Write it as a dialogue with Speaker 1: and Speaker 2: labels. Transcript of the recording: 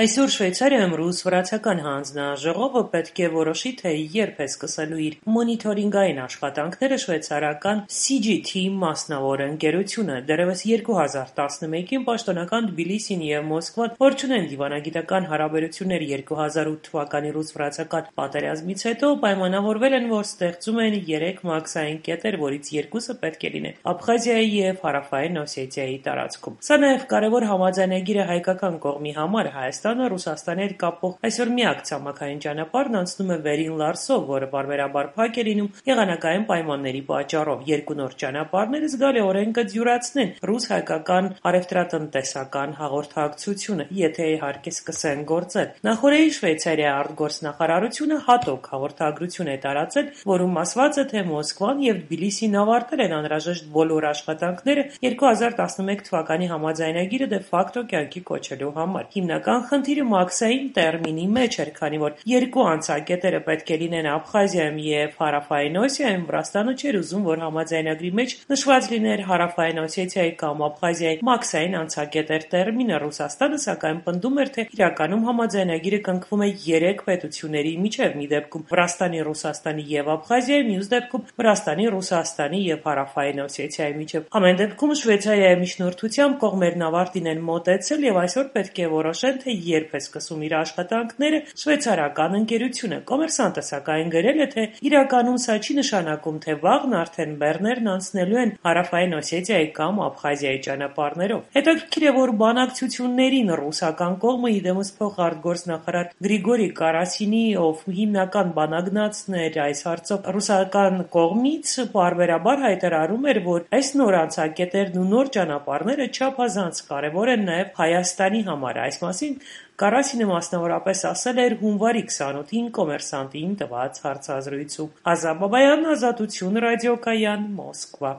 Speaker 1: Այսօր Շվեյցարիայում ռուս-վրացական հանձնաժողովը պետք է որոշի, թե երբ է սկսելու իր մոնիթորինգային աշխատանքները շվեյցարական CGT մասնավոր ընկերությունը։ Դեռևս 2011-ին պաշտոնական Թբիլիսին և Մոսկվան, որ չունեն դիվանագիտական հարաբերություններ 2008 թվականի ռուս-վրացական պատերազմից հետո, պայմանավորվել են, որ ստեղծում են 3 մաքսային կետեր, որից 2-ը պետք է լինեն Աբխազիայի և Հարավային Օսեթիայի տարածքում։ Սա նաև կարևոր համաձայնագիր է հայկական կողմի համար։ Հայաստանը Ռուսաստանի հետ կապող այսօր միակ ցամաքային ճանապարհն անցնում է Վերին Լարսով, որը պարբերաբար փակ է լինում եղանակային պայմանների պատճառով։ Երկու նոր ճանապարհները զգալիորեն կդյուրացնեն ռուս-հայկական առևտրատնտեսական հաղորդակցությունը, եթե իհարկե սկսեն գործել։ Նախորդին Շվեյցարիայի արտգործնախարարությունը հատուկ հաղորդագրություն է տարածել, որում ասված է, թե Մոսկվան և Թբիլիսին ավարտել են անհրաժեշտ բոլոր աշխատանքները 2011 թվականի համաձայնագիրը դե ֆակտո կյանքի կոչելու համար։ Հիմնական խնդիրը մաքսային տերմինի մեջ էր, քանի որ երկու անցակետերը պետք է լինեն Աբխազիայում և Հարավային Օսիայում, Վրաստանը չէր ուզում, որ համաձայնագրի մեջ նշված լիներ Հարավային Օսեթիայի կամ Աբխազիայի մաքսային անցակետեր տերմինը։ Ռուսաստանը սակայն պնդում էր, թե իրականում համաձայնագիրը կնքվում է 3 պետությունների միջև՝ մի դեպքում Վրաստանի, Ռուսաստանի և Աբխազիայի, մյուս դեպքում Վրաստանի, Ռուսաստանի և Հարավային Օսեթիայի միջև։ Ամեն դեպքում Շվեյցարիայի միջնորդությամբ կողմերն ավարտին են մոտեցել և այսօր պետք է որոշեն, թե երբ է սկսում իր աշխատանքները շվեյցարական ընկերությունը։ Կոմերսանտը սակայն գրել է, թե իրականում սա չի նշանակում, թե վաղն արդեն բեռներն անցնելու են Հարավային Օսեթիայի կամ Աբխազիայի ճանապարհներով։ Հետաքրքիր է, որ բանակցություններին ռուսական կողմը իդեմս փոխարտգործնախարար Գրիգորի Կարասինի, ով հիմնական բանագնացն էր այս հարցով ռուսական կողմից, պարբերաբար հայտարարում էր, որ այս նոր անցակետերն ու նոր ճանապարհները չափազանց կարևոր են նաև Հայաստանի համար։ Այս մասին Կարասինը մասնավորապես ասել էր հունվարի 28-ին «Կոմերսանտին» տված հարցազրույցում։ Ազատ Բաբայան, Ազատություն ռադիոկայան, Մոսկվա։